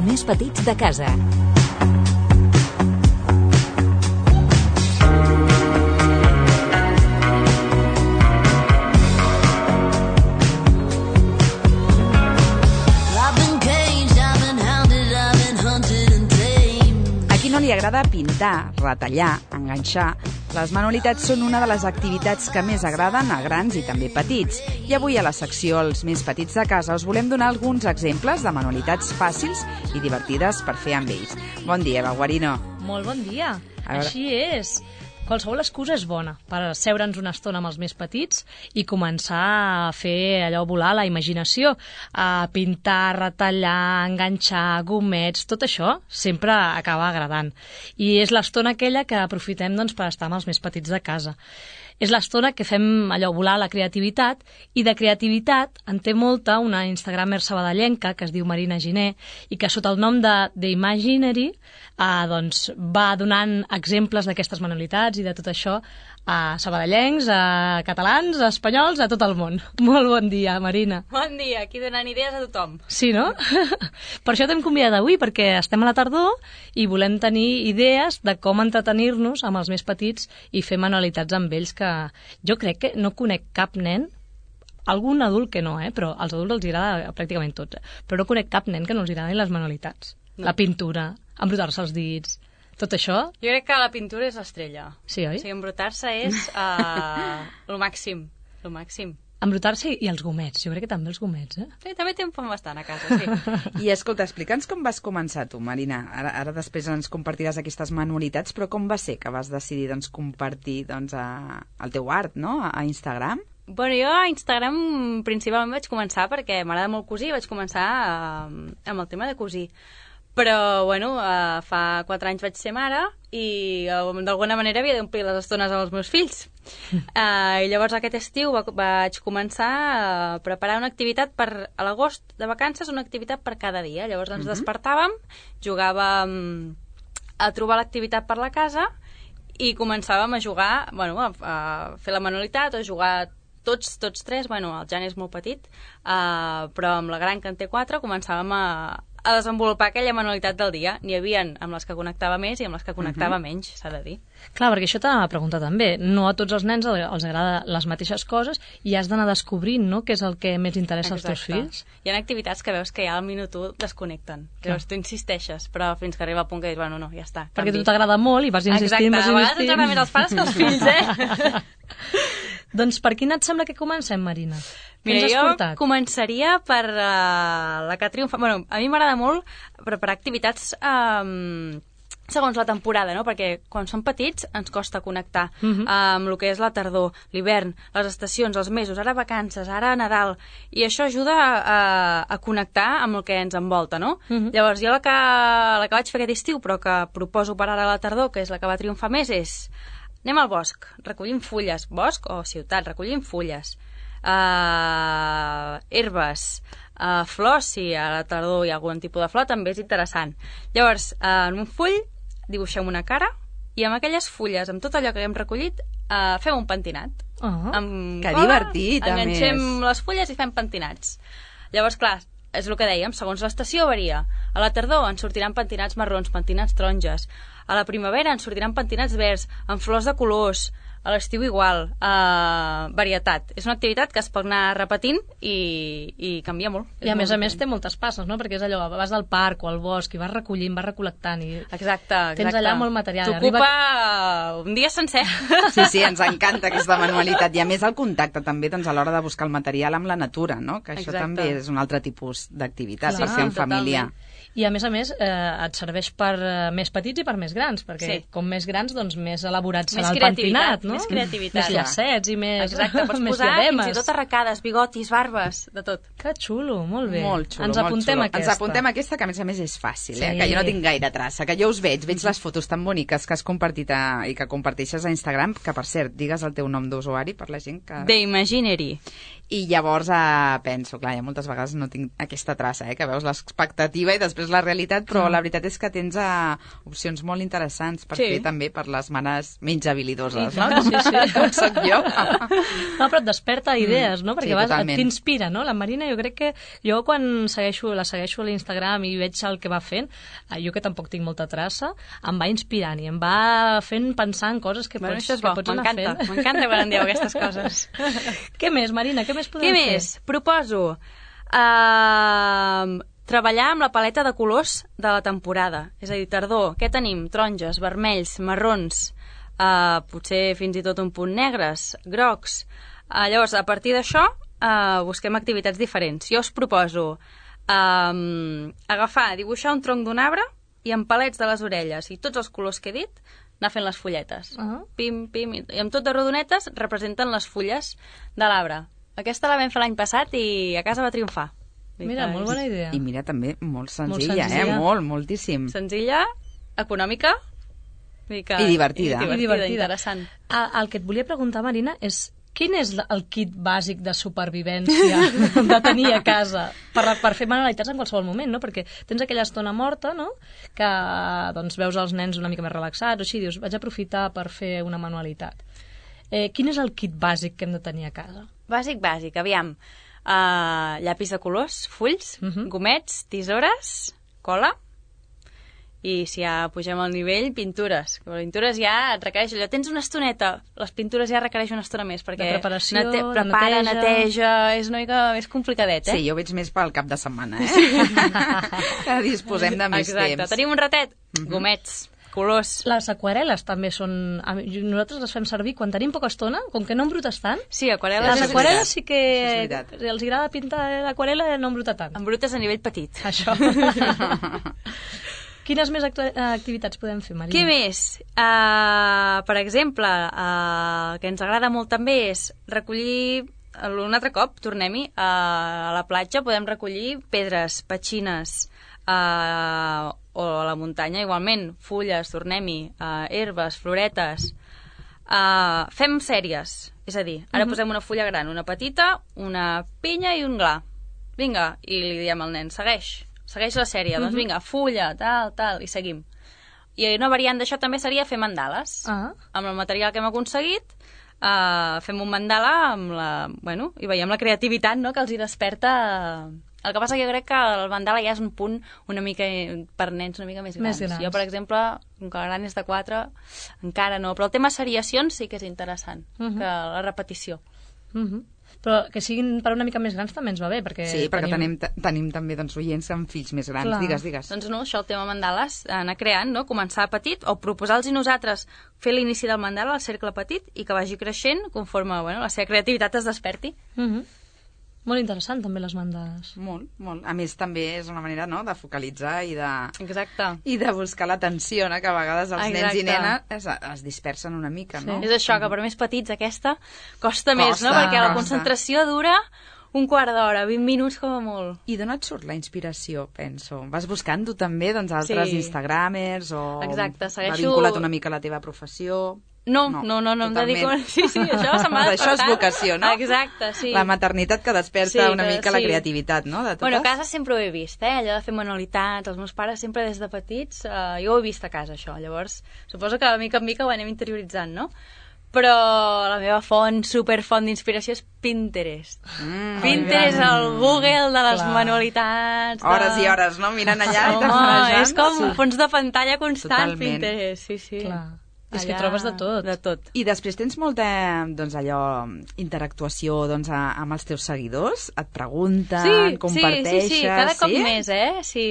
més petits de casa. A qui no li agrada pintar, retallar, enganxar? Les manualitats són una de les activitats que més agraden a grans i també petits. I avui a la secció Els més petits de casa us volem donar alguns exemples de manualitats fàcils i divertides per fer amb ells. Bon dia, Eva Guarino. Molt bon dia. Així és. Qualsevol excusa és bona per asseure'ns una estona amb els més petits i començar a fer allò volar la imaginació, a pintar, retallar, enganxar, gomets, tot això sempre acaba agradant. I és l'estona aquella que aprofitem per estar amb els més petits de casa. És l'estona que fem allò volar la creativitat, i de creativitat en té molta una instagramer sabadellenca que es diu Marina Giner i que sota el nom de The Imaginary va donant exemples d'aquestes manualitats i de tot això a sabadellencs, a catalans, a espanyols, a tot el món. Molt bon dia, Marina. Bon dia, aquí donant idees a tothom. Sí, no? Per això t'hem convidat avui, perquè estem a la tardor i volem tenir idees de com entretenir-nos amb els més petits i fer manualitats amb ells, que jo crec que no conec cap nen, algun adult que no, però als adults els agrada pràcticament tots, però no conec cap nen que no els agradin les manualitats. No. La pintura, embrutar-se els dits, tot això. Jo crec que la pintura és l'estrella. Sí, oi? O sigui, embrutar-se és el màxim. El màxim. Embrutar-se i els gomets. Jo crec que també els gomets, Sí, també en fem bastant a casa, sí. I escolta, explica'ns com vas començar tu, Marina. Ara després ens compartiràs aquestes manualitats, però com va ser que vas decidir compartir el teu art, no?, a Instagram? Bueno, jo a Instagram principalment vaig començar perquè m'agrada molt cosir, vaig començar amb el tema de cosir. Però, bueno, fa 4 anys vaig ser mare i d'alguna manera havia d'omplir les estones amb els meus fills. I llavors aquest estiu vaig començar a preparar una activitat a l'agost de vacances, una activitat per cada dia. Llavors ens despertàvem, jugàvem a trobar l'activitat per la casa i començàvem a jugar, a fer la manualitat o a jugar tots tres. Bueno, el Jan és molt petit, però amb la gran, que en té 4, començàvem a desenvolupar aquella manualitat del dia. N'hi havia amb les que connectava més i amb les que connectava menys, s'ha de dir. Clar, perquè això t'ha de preguntar també. No a tots els nens els agrada les mateixes coses i has d'anar descobrint, no?, què és el que més interessa als teus fills. Hi ha activitats que veus que ja al minut 1 desconnecten. Llavors tu insisteixes, però fins que arriba al punt que dius, bueno, no, ja està. Perquè a tu t'agrada molt i vas insistint, Exacte, a vegades ens agrada més els pares que els fills, Doncs per quina et sembla que comencem, Marina? Mira, jo començaria per la que triomfa. Bueno, a mi m'agrada molt preparar activitats segons la temporada, no? Perquè quan som petits ens costa connectar amb el que és la tardor, l'hivern, les estacions, els mesos, ara vacances, ara Nadal, i això ajuda a connectar amb el que ens envolta, no? Llavors jo la que vaig fer aquest estiu, però que proposo per ara a la tardor, que és la que va triomfar més, és anem al bosc, recollim fulles, bosc o ciutat, recollim fulles, herbes, flors, si a la tardor hi ha algun tipus de flor, també és interessant. Llavors, en un full dibuixem una cara i amb aquelles fulles, amb tot allò que hem recollit, fem un pentinat. Que divertit, a més. Enganxem les fulles i fem pentinats. Llavors, clar, és el que dèiem, segons l'estació varia. A la tardor ens sortiran pentinats marrons, pentinats taronges. A la primavera ens sortiran pentinats verds, amb flors de colors. A l'estiu igual, varietat. És una activitat que es pot anar repetint i canvia molt. I a més té moltes passes, no? Perquè és allò, vas al parc o al bosc i vas recollint, vas recol·lectant i exacte. Tens allà molt material. T'ocupa un dia sencer. Sí, ens encanta aquesta manualitat. I a més el contacte també a l'hora de buscar el material amb la natura, no? Que això també és un altre tipus d'activitat per fer en família. I a més et serveix per més petits i per més grans, perquè com més grans, doncs més elaborat serà el pentinat, no? Més creativitat. Més llacets i més exacte, pots posar fins i tot arracades, bigotis, barbes, de tot. Que xulo, molt bé. Molt xulo, ens apuntem aquesta. Ens apuntem aquesta, que a més és fàcil, que jo no tinc gaire traça, que jo us veig les fotos tan boniques que has compartit i que comparteixes a Instagram, que per cert, digues el teu nom d'usuari per la gent que... The Imaginary. I llavors penso, clar, moltes vegades no tinc aquesta traça, que veus l'expectativa i després la realitat, però la veritat és que tens opcions molt interessants per fer també per les manes menys habilidoses, no? Com soc jo. No, però et desperta idees, no? Perquè t'inspira, no? La Marina, jo crec que jo quan la segueixo a l'Instagram i veig el que va fent, jo que tampoc tinc molta traça, em va inspirant i em va fent pensar en coses que pots anar fent. M'encanta quan em dieu aquestes coses. Què més, Marina? Què més podem fer? Què més? Proposo treballar amb la paleta de colors de la temporada. És a dir, tardor, què tenim? Taronges, vermells, marrons, potser fins i tot un punt negres, grocs. Llavors, a partir d'això, busquem activitats diferents. Jo us proposo dibuixar un tronc d'un arbre i amb palets de les orelles i tots els colors que he dit, anar fent les fulletes. Pim, pim, i amb tot de rodonetes representen les fulles de l'arbre. Aquesta la vam fer l'any passat i a casa va triomfar. Mira, molt bona idea. I mira, també molt senzilla, moltíssim. Senzilla, econòmica i divertida. Interessant. El que et volia preguntar, Marina, és quin és el kit bàsic de supervivència de tenir a casa per fer manualitats en qualsevol moment, no? Perquè tens aquella estona morta, no? Que doncs, veus els nens una mica més relaxats, o així, dius, vaig aprofitar per fer una manualitat. Quin és el kit bàsic que hem de tenir a casa? Bàsic, aviam. Llapis de colors, fulls, gomets, tisores, cola, i si ja pugem al nivell, pintures. Pintures ja et requereix allò. Tens una estoneta, les pintures ja requereix una estona més, perquè de preparació, neteja, és una mica més complicadet, Sí, jo veig més pel cap de setmana, que disposem de més temps. Exacte, tenim un ratet, gomets, colors. Les aquarel·les també són... Nosaltres les fem servir quan tenim poca estona, com que no embrutes tant. Sí, aquarel·les. Les aquarel·les sí que els agrada pintar l'aquarel·la i no embruta tant. Embrutes a nivell petit. Això. Quines més activitats podem fer, Marina? Què més? Per exemple, el que ens agrada molt també és recollir... Un altre cop, tornem-hi, a la platja podem recollir pedres, petxines, o a la muntanya igualment, fulles, tornem-hi, herbes, floretes. Fem sèries, és a dir, ara posem una fulla gran, una petita, una pinya i un gla. Vinga, i li diem al nen, segueix la sèrie, doncs vinga, fulla, tal, i seguim. I una variant d'això també seria fer mandales. Amb el material que hem aconseguit, fem un mandala i veiem la creativitat, no?, que els hi desperta. El que passa que jo crec que el mandala ja és un punt una mica per nens una mica més grans. Jo, per exemple, com que el gran és de 4, encara no. Però el tema seriacions sí que és interessant, que la repetició. Però que siguin per una mica més grans també ens va bé, perquè... Sí, perquè tenim també oients amb fills més grans. Clar. Digues. Doncs no, això, el tema mandales, anar creant, no? Començar petit, o proposar-los nosaltres fer l'inici del mandala, el cercle petit, i que vagi creixent conforme la seva creativitat es desperti. Molt interessant, també, les mandales. Molt. A més, també és una manera, no?, de focalitzar i de... Exacte. I de buscar l'atenció, no?, que a vegades els nens i nenes es dispersen una mica, no? És això, que per més petits aquesta costa més, no?, perquè la concentració dura un quart d'hora, 20 minuts com a molt. I d'on et surt la inspiració, penso? Vas buscant tu també, doncs, altres instagramers o... Exacte, segueixo... Va vinculat una mica a la teva professió... No, em dedico... Sí, això se m'ha despertat. Això és vocació, no? Exacte, sí. La maternitat que desperta una mica la creativitat, no? De totes. Bueno, a casa sempre ho he vist, allò de fer manualitats, els meus pares sempre des de petits, jo ho he vist a casa, això. Llavors, suposo que de mica en mica ho anem interioritzant, no? Però la meva superfont d'inspiració és Pinterest. Pinterest, el Google de les manualitats... Hores i hores, no? Mirant allà i home, és com un fons de pantalla constant, Pinterest, sí. Clar. És que trobes de tot. De tot. I després tens molta, doncs, interactuació, doncs, amb els teus seguidors? Et pregunten, comparteixes... Sí, cada cop més, sí.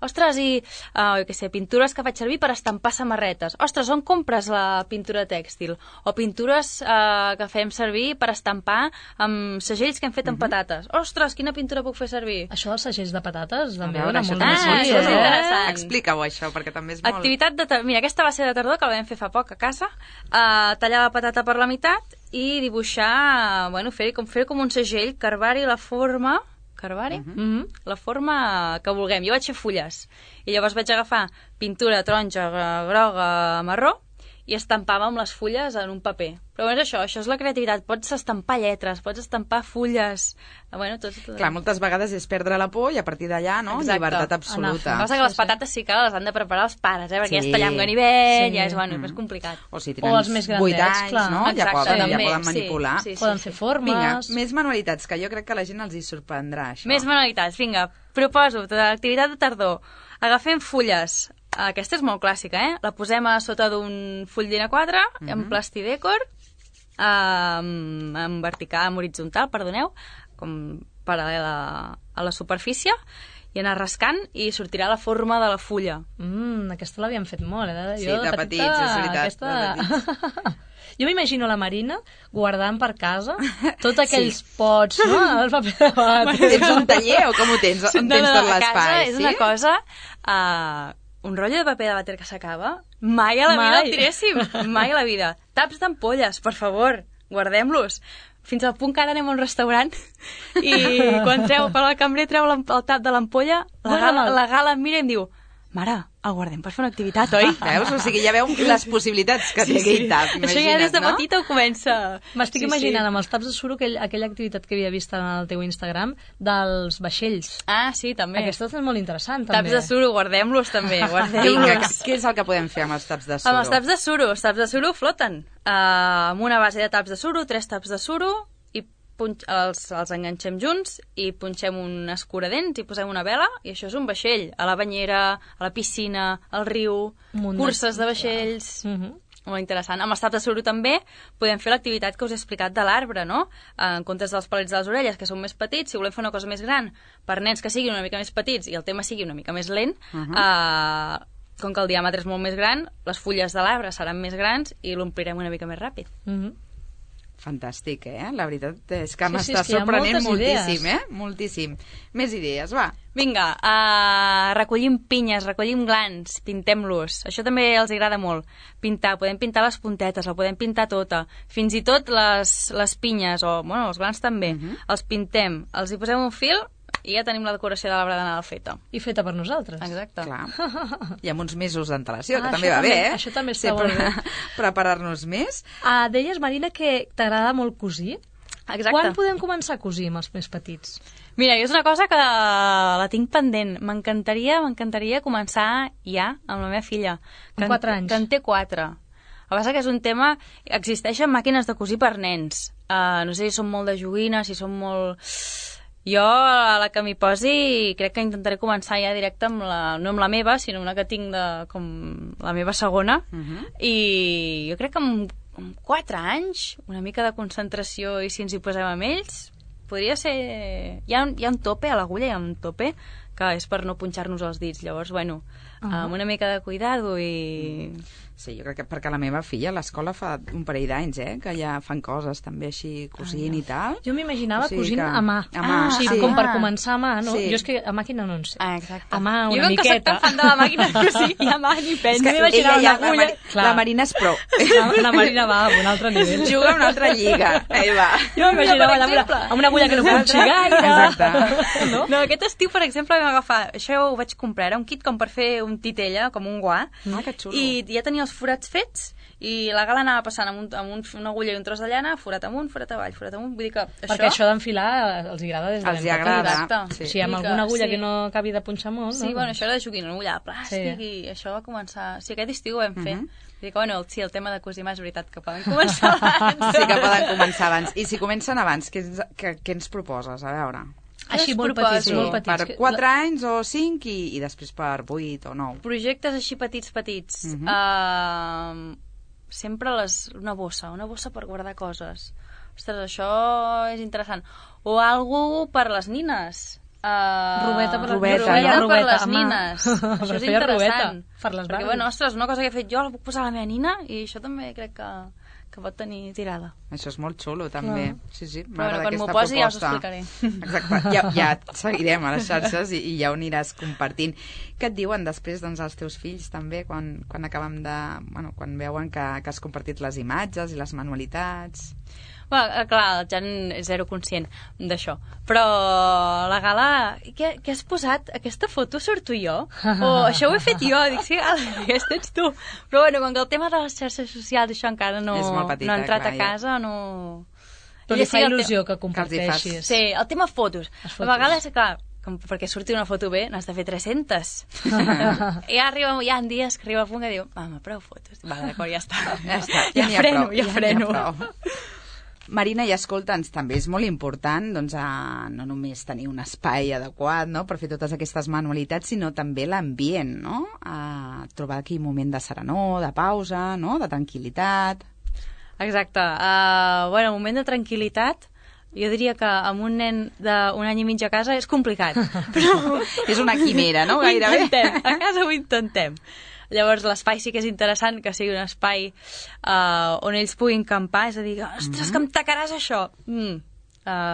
Ostres, i, jo què sé, pintures que faig servir per estampar samarretes. Ostres, on compres la pintura tèxtil? O pintures que fem servir per estampar amb segells que hem fet amb patates. Ostres, quina pintura puc fer servir? Això dels segells de patates també dona molt això és interessant. Explica-ho, això, perquè també és molt... Activitat Mira, aquesta va ser de tardor, que la vam fer fa poc a casa. Tallar la patata per la meitat i dibuixar, fer com un segell, carvar-hi la forma... La forma que vulguem. Jo vaig fer fulles i llavors vaig agafar pintura taronja, groga, marró i estampàvem les fulles en un paper. Però és això és la creativitat. Pots estampar lletres, pots estampar fulles... Bueno, tot... Clar, moltes vegades és perdre la por i a partir d'allà, no? Exacte. Llibertat absoluta. Passa que les patates sí que les han de preparar els pares, perquè ja es tallar amb ganivet, ja és, bueno, és complicat. O si tenen els més grandets, 8 anys, clar. no? Exacte, Ja poden manipular. Poden fer formes... Vinga, més manualitats, que jo crec que a la gent els hi sorprendrà, això. Més manualitats, vinga. Proposo, activitat de tardor. Agafem fulles. Aquesta és molt clàssica, La posem a sota d'un full d'A4, en plastidècor, en vertical, en horitzontal, perdoneu, com paral·lela a la superfície, i anar rascant i sortirà la forma de la fulla. Aquesta l'havíem fet molt, Sí, de petits, és veritat. Aquesta... Jo m'imagino la Marina guardant per casa tots aquells pots, no? El paper de vàter. Tens un taller o com ho tens? On tens tot l'espai? És una cosa... un rotllo de paper de vàter que s'acaba, mai a la vida el tiréssim. Mai a la vida. Taps d'ampolles, per favor, guardem-los. Fins al punt que ara anem a un restaurant i quan el cambrer treu el tap de l'ampolla, la Gala em mira i em diu: mare, el guardem per fer una activitat, oi? Veus? O sigui, ja veu les possibilitats que té aquell tap, imagina't, això ja des de petita ho comença. M'estic imaginant amb els taps de suro aquella activitat que havia vist en el teu Instagram dels vaixells. Ah, sí, també. Aquesta és molt interessant, també. Taps de suro, guardem-los també, Vinga, què és el que podem fer amb els taps de suro? Amb els taps de suro floten. Amb una base de taps de suro, 3 taps de suro, i els enganxem junts i punxem un escuradents i posem una vela i això és un vaixell. A la banyera, a la piscina, al riu, curses de vaixells... Molt interessant. Amb els taps de suro també podem fer l'activitat que us he explicat de l'arbre, no? En comptes dels palets de les orelles, que són més petits, si volem fer una cosa més gran per nens que siguin una mica més petits i el tema sigui una mica més lent, com que el diàmetre és molt més gran, les fulles de l'arbre seran més grans i l'omplirem una mica més ràpid. Fantàstic, La veritat és que m'està sorprenent moltíssim, Moltíssim. Més idees, va. Vinga, recollim pinyes, recollim glans, pintem-los. Això també els agrada molt. Pintar, podem pintar les puntetes, la podem pintar tota. Fins i tot les pinyes, o bueno, els glans també. Els pintem, els hi posem un fil i ja tenim la decoració de l'arbre de Nadal feta. I feta per nosaltres. Exacte. Clar. I amb uns mesos d'antelació, que també va bé, Això també està molt bé. Preparar-nos més. Deies, Marina, que t'agrada molt cosir. Exacte. Quan podem començar a cosir amb els més petits? Mira, jo és una cosa que la tinc pendent. M'encantaria començar ja amb la meva filla. Amb 4 anys. Que en té 4. El que passa que és un tema... Existeixen màquines de cosir per nens. No sé si són molt de joguina, si són molt... Jo, a la que m'hi posi, crec que intentaré començar ja directe amb no amb la meva, sinó una que tinc com la meva segona. I jo crec que amb 4 anys, una mica de concentració i si ens hi posem amb ells, podria ser... Hi ha un tope, a l'agulla hi ha un tope, que és per no punxar-nos els dits. Llavors, bueno, amb una mica de cuidado i... Sí, jo crec que perquè la meva filla a l'escola fa un parell d'anys, que ja fan coses també així cosint i tal. Jo m'imaginava cosint a mà. Sí, com per començar a mà, no? Sí. Jo és que a màquina no en sé. Exacte. A mà una miqueta. Jo que soc tan fan de la màquina de cosir i a mà ni penso. La Marina és pro. La Marina va a un altre nivell. Juga a una altra lliga. Va. Jo m'imaginava amb una agulla que no punxi gaire. Exacte. No, aquest estiu, per exemple, vam agafar... Això ho vaig comprar, era un kit com per fer un titella, com un guà. Que xulo. I ja tenia els forats fets i la Gala anava passant amb una agulla i un tros de llana, forat amunt, forat avall, forat amunt. Vull dir que això... Perquè això d'enfilar els agrada des de els agrada. Sí. Si amb alguna agulla que no acabi de punxar molt... Sí, bueno, això era de joguina, una agulla de plàstic i això va començar... Sí, aquest estiu ho vam fer. Vull dir que, bueno, sí, el tema de cosir mà és veritat que poden començar abans. Sí que poden començar abans. I si comencen abans, què ens proposes? A veure... Així molt petits, molt petits. Per 4 anys o 5 i després per 8 o 9. Projectes així petits. Sempre una bossa per guardar coses. Ostres, això és interessant. O algú per les nines. Rubeta per les nines. Això és interessant. Per les perquè, bueno, ostres, una cosa que he fet jo la puc posar a la meva nina i això també crec que pot tenir tirada. Això és molt xulo, també. Sí, m'agrada aquesta proposta. Quan m'ho posi ja us ho explicaré. Exacte, ja et seguirem a les xarxes i ja ho aniràs compartint. Què et diuen després els teus fills també quan acabem de... quan veuen que has compartit les imatges i les manualitats? Bueno, clar, el Jan és zero conscient d'això. Però la gala... Què has posat? Aquesta foto surto jo? O això ho he fet jo? Dic, sí, aquesta ets tu. Però bueno, com que el tema de les xarxes socials, això encara no ha entrat a casa, no... Però li fa il·lusió que comparteixis. Sí, el tema fotos. A vegades, clar, perquè surti una foto bé, n'has de fer 300. I hi ha dies que arriba a punt que diu, home, prou fotos. Va, d'acord, ja està. Ja freno. Marina, i escolta'ns, també és molt important doncs, no només tenir un espai adequat, no?, per fer totes aquestes manualitats, sinó també l'ambient, no? Trobar aquí un moment de serenor, de pausa, no?, de tranquil·litat. Exacte. Bueno, un moment de tranquil·litat, jo diria que amb un nen d'un any i mig a casa és complicat. Però és una quimera, no?, gairebé. A casa ho intentem. Llavors l'espai sí que és interessant, que sigui un espai on ells puguin campar, és a dir, ostres, que em tacaràs això.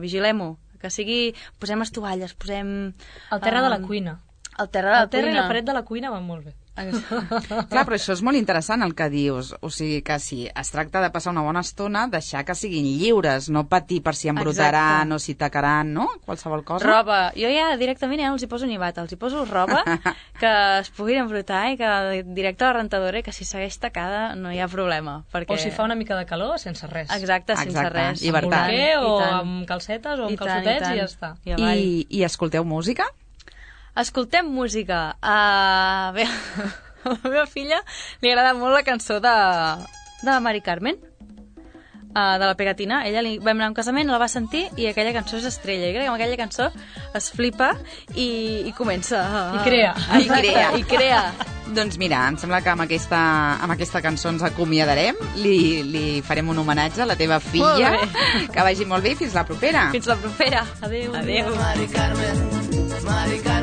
Vigilem-ho, que sigui... Posem estovalles, posem... El terra de la cuina. El terra i la paret de la cuina van molt bé. Clar, però això és molt interessant el que dius, o sigui que si es tracta de passar una bona estona, deixar que siguin lliures, no patir per si embrutaran o si tacaran, no? Qualsevol cosa. Roba, jo ja directament ja no els hi poso ni bata, els hi poso roba que es puguin embrutar i que directe a la rentadora i que si segueix tacada no hi ha problema. Perquè... O si fa una mica de calor, sense res. Exacte, sense res. Llibertat. O amb calcetes o amb calçotets i ja està. I escolteu música? Escoltem música. Bé, a la meva filla li agrada molt la cançó de Mari Carmen, de la Pegatina. Ella vam anar a un casament, la va sentir i aquella cançó és estrella. I crec que amb aquella cançó es flipa i comença... I crea. I crea. Doncs mira, em sembla que amb aquesta cançó ens acomiadarem, li farem un homenatge a la teva filla, que vagi molt bé i fins la propera. Fins la propera. Adéu. Mari Carmen, Mari Carmen.